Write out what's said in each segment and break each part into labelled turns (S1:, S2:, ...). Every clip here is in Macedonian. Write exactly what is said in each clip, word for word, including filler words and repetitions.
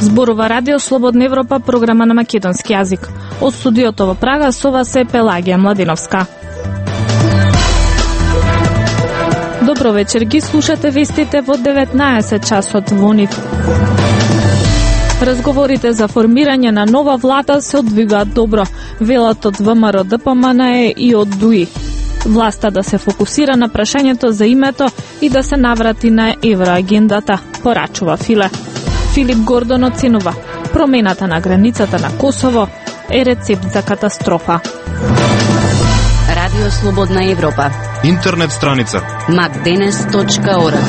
S1: Зборува Радио Слободна Европа, програма на македонски јазик. Од студиото во Прага со вас е Пелагија Младиновска. Добро вечер, ги слушате вестите во деветнаесет часот во НИФ. Разговорите за формирање на нова влада се одвигаат добро, велат од ВМРО Д П М Н Е и од Д У И. Власта да се фокусира на прашањето за името и да се наврати на евроагендата, порачува Филе. Филип Гордон оценува: промената на границата на Косово е рецепт за катастрофа.
S2: Радио Слободна Европа.
S3: Интернет страница
S2: макденес точка орг.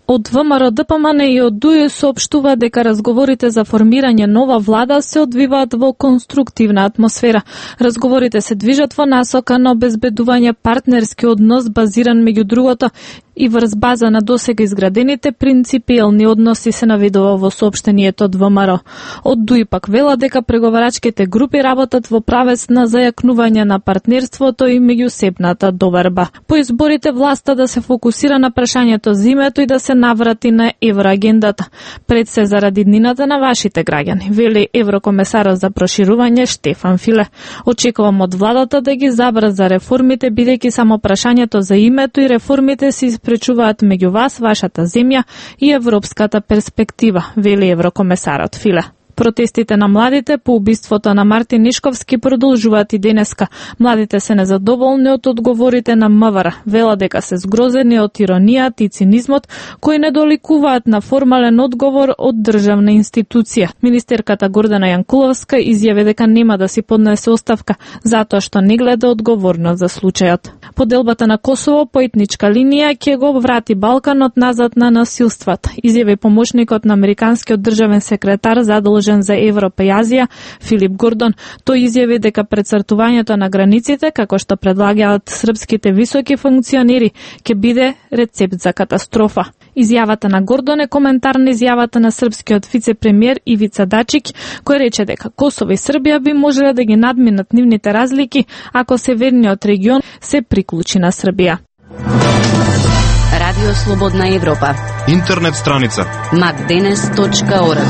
S1: Од ВМРО Д П М Н и од Д У И соопштува дека разговорите за формирање нова влада се одвиваат во конструктивна атмосфера. Разговорите се движат во насока на обезбедување партнерски однос базиран меѓу другото и врз база на досега изградените принципиелни односи, се наведува во соопштението од ВМРО. Од Д У И пак вела дека преговарачките групи работат во правец на зајакнување на партнерството и меѓусебната доверба. По изборите власта да се фокусира на прашањето за името и да се наврати на евроагендата, пред се заради днината на вашите граѓани, вели еврокомесарот за проширување Штефан Филе. Очекувам од владата да ги забрза реформите, бидејќи само прашањето за името и реформите се испречуваат меѓу вас, вашата земја и европската перспектива, вели еврокомесарот Филе. Протестите на младите по убиството на Мартин Нишковски продолжуваат и денеска. Младите се незадоволни од одговорите на М В Р. Вела дека се згрозени од иронијата и цинизмот кои не доликуваат на формален одговор од државна институција. Министерката Гордана Јанкуловска изјави дека нема да си поднесе оставка затоа што не гледа одговорност за случајот. Поделбата на Косово по етничка линија ќе го врати Балканот назад на насилствата, изјави помошникот на американскиот државен секретар задолжен за Европа и Азија Филип Гордон. Тој изјави дека прецртувањето на границите, како што предлагаат српските високи функционери, ќе биде рецепт за катастрофа. Изјавата на Гордон е коментар на изјавата на српскиот вице-премиер Ивица Дачик, кој рече дека Косово и Србија би можеле да ги надминат нивните разлики ако северниот регион се приклучи на Србија.
S2: Радио Слободна Европа.
S3: Интернет страница
S2: макденес точка орг.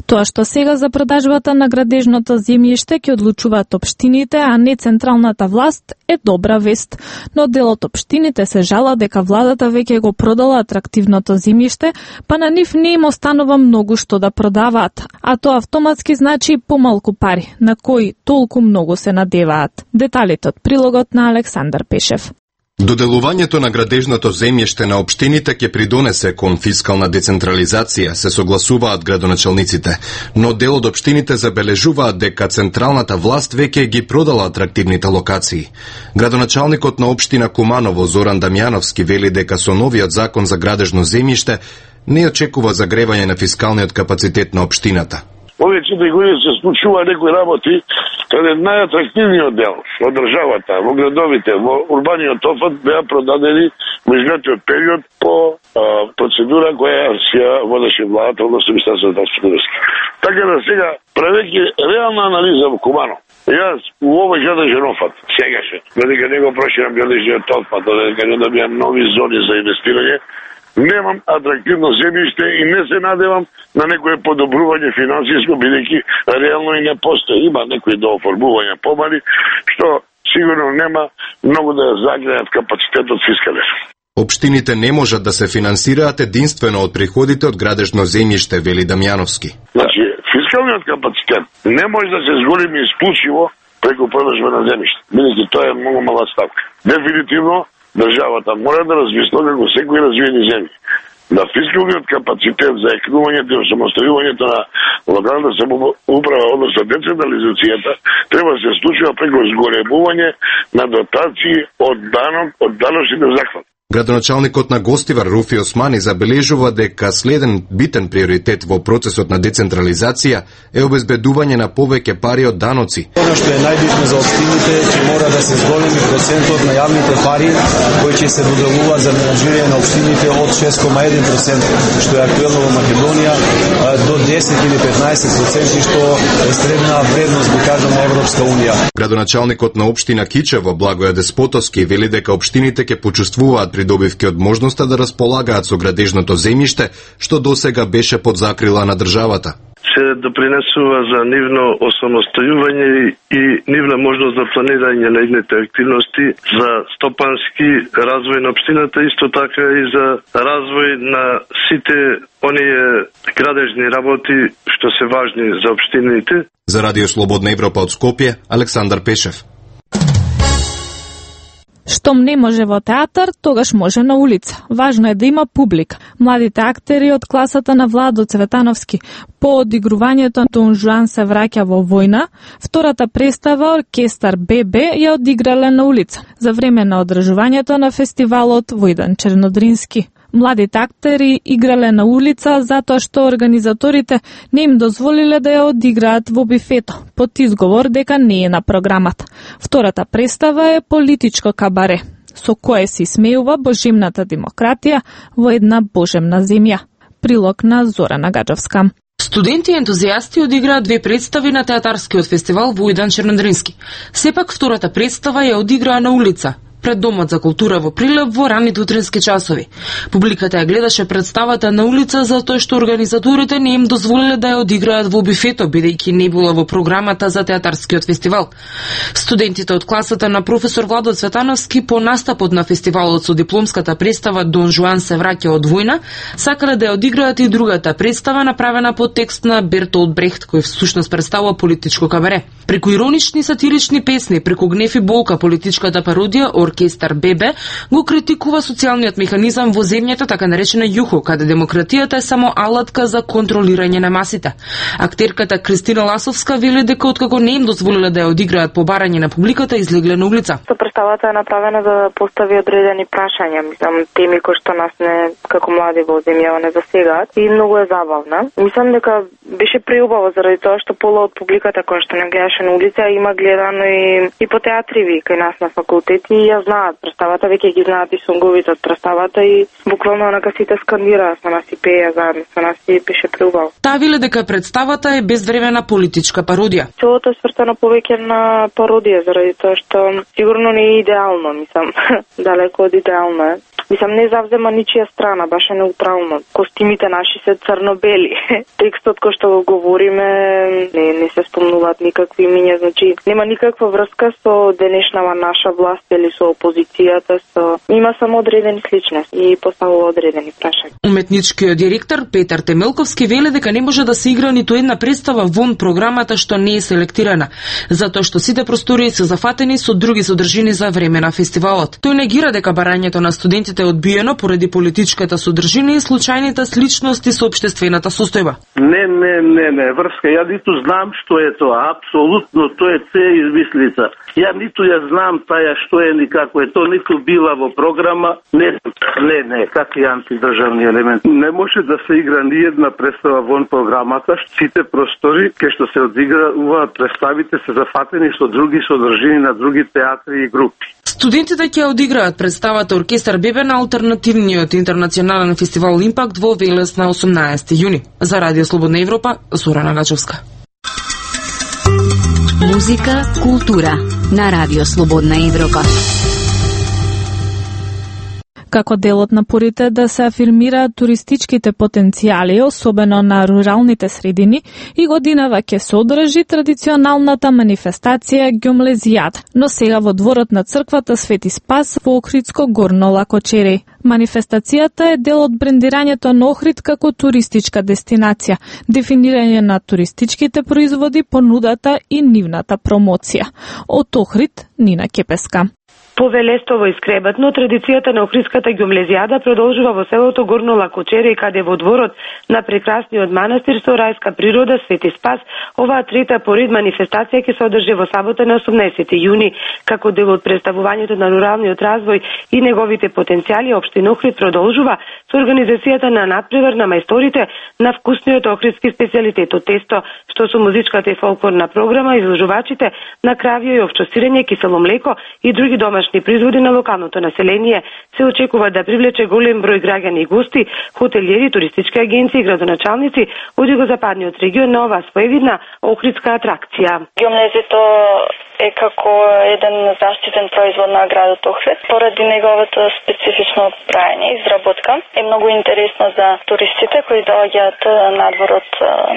S1: Тоа што сега за продажбата на градежното земјиште ќе одлучуваат општините, а не централната власт, е добра вест. Но дел од општините се жала дека владата веќе го продала атрактивното земјиште, па на нив не им останува многу што да продаваат. А тоа автоматски значи помалку пари, на кои толку многу се надеваат. Деталите од прилогот на Александар Пешев.
S4: Доделувањето на градежното земјиште на општините ќе придонесе кон фискална децентрализација, се согласуваат градоначалниците, но дел од општините забележуваат дека централната власт веќе ги продала атрактивните локации. Градоначалникот на општина Куманово Зоран Дамјановски вели дека со новиот закон за градежно земјиште не очекува загревање на фискалниот капацитет на општината.
S5: Овие четири години се случува некои работи каде најатрактивниот дел во државата, во градовите, во урбаниот офат беа продадени во изминатиот период по а, процедура која се водеше владата, односно Министерството на финансите. Така да сега, правејќи реална анализа во Кумано, јас у овој градежен офат, сегаше, додека не го проширам градежниот офат, додека не добијам нови зони за инвестирање, немам атрактивно земјиште и не се надевам на некое подобрување финансиско, бидејќи реално и не постои. Има некои дооформувања помали, што сигурно нема многу да загреат капацитетот фискален.
S4: Општините не можат да се финансираат единствено од приходите од градежно земјиште, вели Дамјановски.
S5: Значи, фискалниот капацитет не може да се зголеми исклучиво преку продажба на земјиште, бидејќи тоа е многу мала ставка. Дефинитивно државата мора да размисла како секои развиени земји. Да фискалниот капацитет за екнувањето и самостојувањето на локалната самоуправа, односно децентрализацијата, треба да се случува преку зголемување на дотации од данок, од даночните захват.
S4: Градоначалникот на Гостивар Руфи Османи забележува дека следен битен приоритет во процесот на децентрализација е обезбедување на повеќе пари од даноци.
S6: Оно што е најбитно за општините ќе мора да се зголеми процентот на јавните пари кои ќе се доделуваат за менаџирање на општините од шест кoma еден процент, што е актуелно во Македонија, до десет или петнаесет проценти, што е средна вредност, би кажам, на Европска унија.
S4: Градоначалникот на општина Кичево, Благоја Деспотовски, вели дека општините ќе почувствуваат придобивки од можноста да располагаат со градежното земјиште, што досега беше под закрила на државата.
S5: Се допринесува за нивно осамостојување и нивна можност за планирање на идните активности за стопански развој на општината, исто така и за развој на сите оние градежни работи што се важни за општините.
S4: За Радио Слободна Европа од Скопје, Александар Пешев.
S1: Штом не може во театар, тогаш може на улица. Важно е да има публика. Младите актери од класата на Владо Цветановски по одигрувањето Дон Жуан се враќа во војна, втората представа оркестар Бе Бе ја одиграле на улица за време на одржувањето на фестивалот Војдан Чернодрински. Младите актери играле на улица затоа што организаторите не им дозволиле да ја одиграат во бифето, под изговор дека не е на програмата. Втората представа е политичко кабаре, со кое се смеува божемната демократија во една божемна земја. Прилог на Зорана Гаджовска.
S7: Студенти и ентузијасти одиграат две представи на театарскиот фестивал Војдан Чернодрински. Сепак втората представа ја одиграа на улица, пред Домот за култура во Прилеп во раните утрински часови. Публиката ја гледаше представата на улица затоа што организаторите не им дозволиле да ја одиграат во бифето, бидејќи не била во програмата за театарскиот фестивал. Студентите од класата на професор Владо Цветановски по настапот на фестивалот со дипломската представа Дон Жуан се враќа од војна, сакале да ја одиграат и другата представа направена по текст на Бертолд Брехт, кој всушност представува политичко кабаре. Преку иронични сатирични песни, преку гнев и болка, политичката пародија оркестар Бе Бе го критикува социјалниот механизам во земјата, така наречена ЮХО, каде демократијата е само алатка за контролирање на масите. Актерката Кристина Ласовска вели дека откако не им дозволиле да ја одиграат по барање на публиката, излегле на улица.
S8: Представата е направена за да постави одредени прашања, мислам, теми кои што нас не како млади во земјава не засегаат и многу е забавна. Мислам дека беше преубаво заради тоа што пола од публиката која што не гледаше на улица има гледано и, и по театриви кај нас на факултет и ја знаат представата, веќе ги знаат и сонговите од представата и буквално онака сите скандираа со нас и пеја заедно со нас и беше преубаво.
S7: Таа вели дека представата е безвремена политичка пародија.
S8: Целото е свртено повеќе на пародија заради тоа што сигурно не е идеално, мислам, далеко од идеално е. Мислам, не завзема ничија страна, баш е неутрално. Костимите наши се црно-бели. Текстот кој што го говориме не, не се спомнуваат никакви имиња, значи нема никаква врска со денешнава наша власт или со опозицијата, со има само одредени сличности и поставува одредени прашања.
S7: Уметничкиот директор Петар Темелковски вели дека не може да се игра ниту една представа вон програмата што не е селектирана, затоа што сите простории се зафатени со други содржини за време на фестивалот. Тој негира дека барањето на студентите е одбиено поради политичката содржина и случајните сличности со општествената состојба.
S9: Не, не, не, не, врска, ја ниту знам што е тоа, апсолутно тоа е це измислица. Ја ниту ја знам таја што е ни како е, тоа ниту била во програма, не, не, не, какви антидржавни елемент. Не може да се игра ни една представа вон програмата, сите простори кај што се одиграуваат представите се зафатени со други содржини на други театри и групи.
S7: Студентите ќе одиграат представата оркестар Бе Бе на алтернативниот интернационален фестивал Импакт во Велес на осумнаесети јуни. За Радио Слободна Европа, Зорана Гачовска.
S2: Музика, култура на Радио Слободна Европа.
S1: Како дел од напорите да се афирмираат туристичките потенцијали, особено на руралните средини, и годинава ќе се одржи традиционалната манифестација Ѓомлезијата, но сега во дворот на црквата Свети Спас во Охридско Горно Лакочереј. Манифестацијата е дел од брендирањето на Охрид како туристичка дестинација, дефинирање на туристичките производи, понудата и нивната промоција. Од Охрид, Нина Кепеска.
S10: Повелестово и скребатно, традицијата на Охридската ѓомлезијада продолжува во селото Горно Лакочереј, каде во дворот на прекрасниот манастир со рајска природа Свети Спас, оваа трета поред манифестација ќе се одржи во сабота на осумнаесети јуни, како дел од представувањето на руралниот развој и неговите потенцијали. Општина Охрид продолжува со организацијата на надпревар на мајсторите на вкусниот охридски специјалитет од тесто, што со музичката и фолклорна програма изложувачите на кравје и овчосирење, кисело млеко и други домашни производи на локалното население се очекува да привлече голем број граѓани и гости, хотелиери, туристички агенции и градоначалници од југозападниот регион на оваа своевидна охридска атракција.
S11: Ѓомлезито е како еден заштитен производ на градот Охрид. Поради неговото специфично праење и изработка е многу интересно за туристите кои доаѓаат надвор од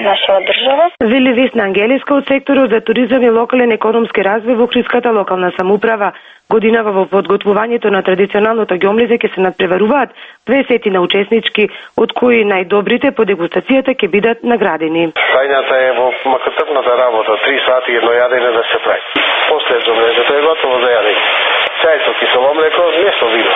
S11: нашава држава.
S10: Вели Весна Ангелиска од секторот за туризам и локален економски развој во Охридската локална самоуправа. Годинава во подготвувањето на традиционалното ѓомлезе ќе се надпреваруваат двесетина учеснички, од кои најдобрите по дегустацијата ќе бидат наградени.
S12: Тајната е во макатрпната работа, три сати едно јадење да се прави. После ѓомлезето е готово за јадење. Чај со кисело млеко, не со вино.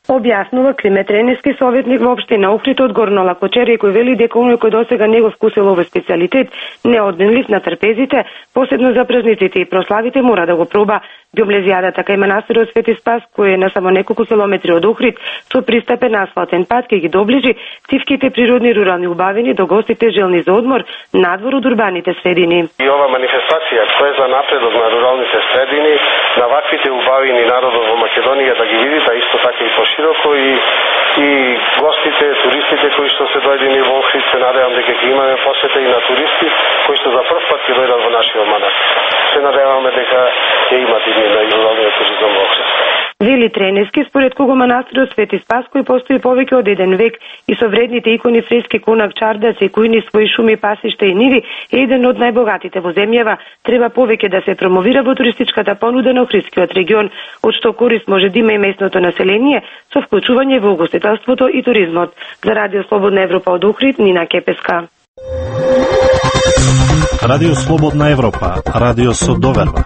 S10: Објаснува Климе Тренески, советник во општина Охрид од Горно Лакочере, кој вели дека оној кој досега не го вкусил овој специјалитет, неодменлив на трпезите, посебно за празниците и прославите, мора да го проба. Ѓомлезијадата кај манастирот Свети Спас, кој е на само неколку километри од Охрид, со пристапен асфалтен пат ќе ги доближи тивките природни рурални убавини до гостите желни за одмор надвор од урбаните средини.
S12: И ова манифестација која е за напредок на руралните средини, на ваквите убавини народот во Македонија да ги види, да исто така и пошироко и и гостите, туристите кои што се дојдени во Охрид, се надевам дека ќе имаме посета и на туристи кои што за прв пат ќе дојдат во нашиот манастир. Се надеваме дека ќе имат и на руралниот туризам во Охрид.
S10: Вели Тренески, според кого манастирот Свети Спас, кој постои повеќе од еден век и со вредните икони, фрески, конак, чардаци, кујни, своји шуми, пасишта и ниви, е еден од најбогатите во земјава, треба повеќе да се промовира во туристичката понуда на Охридскиот регион, од што корист може да има и местното население со вклучување во угостителството и туризмот. За Радио Слободна Европа од Охрид, Нина Кепеска.
S13: Радио Слободна Европа, радио со доверба.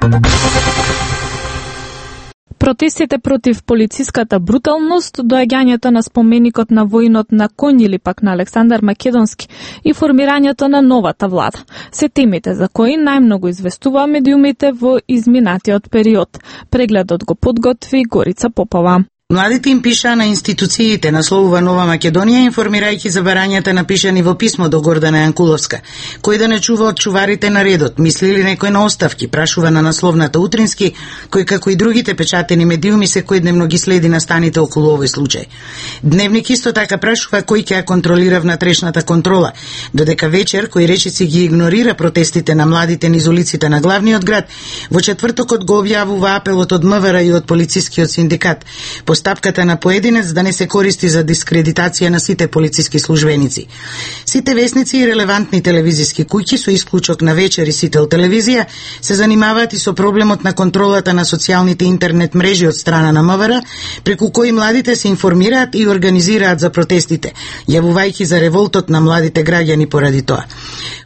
S1: Протестите против полициската бруталност, доаѓањето на споменикот на воинот на Конј или пак на Александар Македонски и формирањето на новата влада се темите за кои најмногу известува медиумите во изминатиот период. Прегледот го подготви Горица Попова.
S14: Младите им пишаа на институциите, насловува Нова Македонија, информирајќи за барањата напишани во писмо до Гордана Јанкуловска. Кој да не чува од чуварите на редот, мисли ли некој на оставки, прашува на насловната Утрински, кој како и другите печатени медиуми секојдневно ги следи настаните околу овој случај. Дневник исто така прашува кој ќе ја контролира внатрешната контрола, додека вечер кој речици ги игнорира протестите на младите низ улиците на главниот град, во четвртокот го објавува апелот од МВР и од полицискиот синдикат. Стапката на поединец да не се користи за дискредитација на сите полициски службеници. Сите весници и релевантни телевизиски куќи, со исклучок на Вечер и Сител телевизија, се занимаваат и со проблемот на контролата на социјалните интернет мрежи од страна на МВР, преку кои младите се информираат и организираат за протестите, јавувајќи за револтот на младите граѓани поради тоа.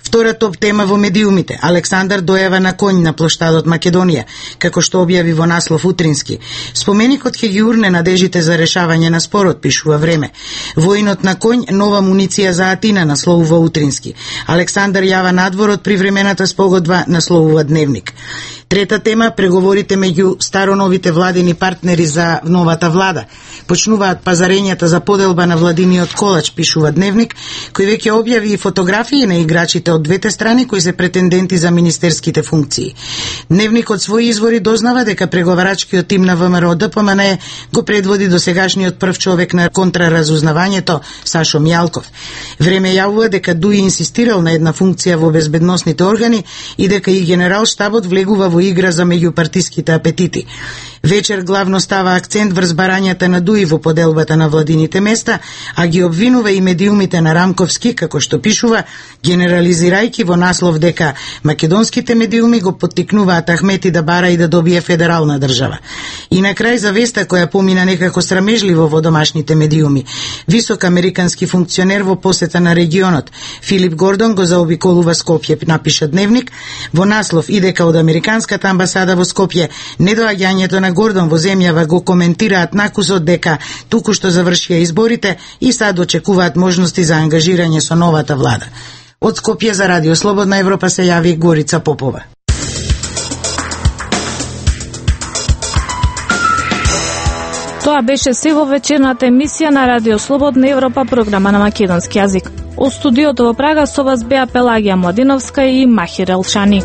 S14: Втора топ тема во медиумите. Александар дојава на Конј на плоштадот Македонија, како што објави во наслов Утрински. Споменикот ќе ги урне надежите за решавање на спорот, пишува Време. Воинот на Конј, нова муниција за Атина, насловува Утрински. Александар јава надворот при времената спогодба, насловува Дневник. Трета тема, преговорите меѓу староновите владини партнери за новата влада. Почнуваат пазарењата за поделба на владиниот колач, пишува Дневник, кој веќе објави и фотографии на играчите од двете страни кои се претенденти за министерските функции. Дневник од своји извори дознава дека преговарачкиот тим на ВМРО Д П М Н го предводи досегашниот прв човек на контраразузнавањето Сашо Мијалков. Време јавува дека Дуи инсистирал на една функција во безбедносните органи и дека и генерал штабот влегува во игра за меѓупартиските апетити. Вечер главно става акцент врз барањата на Дуи во поделбата на владините места, а ги обвинува и медиумите на Рамковски, како што пишува, генерализирајќи во наслов дека македонските медиуми го поттикнуваат Ахмети да бара и да добие федерална држава. И на крај за веста која помина некако срамежливо во домашните медиуми. Висок американски функционер во посета на регионот, Филип Гордон, го заобиколува Скопје, напиша Дневник, во наслов и дека од американската амбасада во Скопје недоаѓањето на Гордон во земјава го коментираат накусот дека туку што завршија изборите и сад очекуваат можности за ангажирање со новата влада. Од Скопје за Радио Слободна Европа се јави Горица Попова.
S1: Тоа Тоа беше се во вечерната емисија на Радио Слободна Европа, програма на македонски јазик. Од студиото во Прага со вас беа Пелагија Младиновска и Махир Елшани.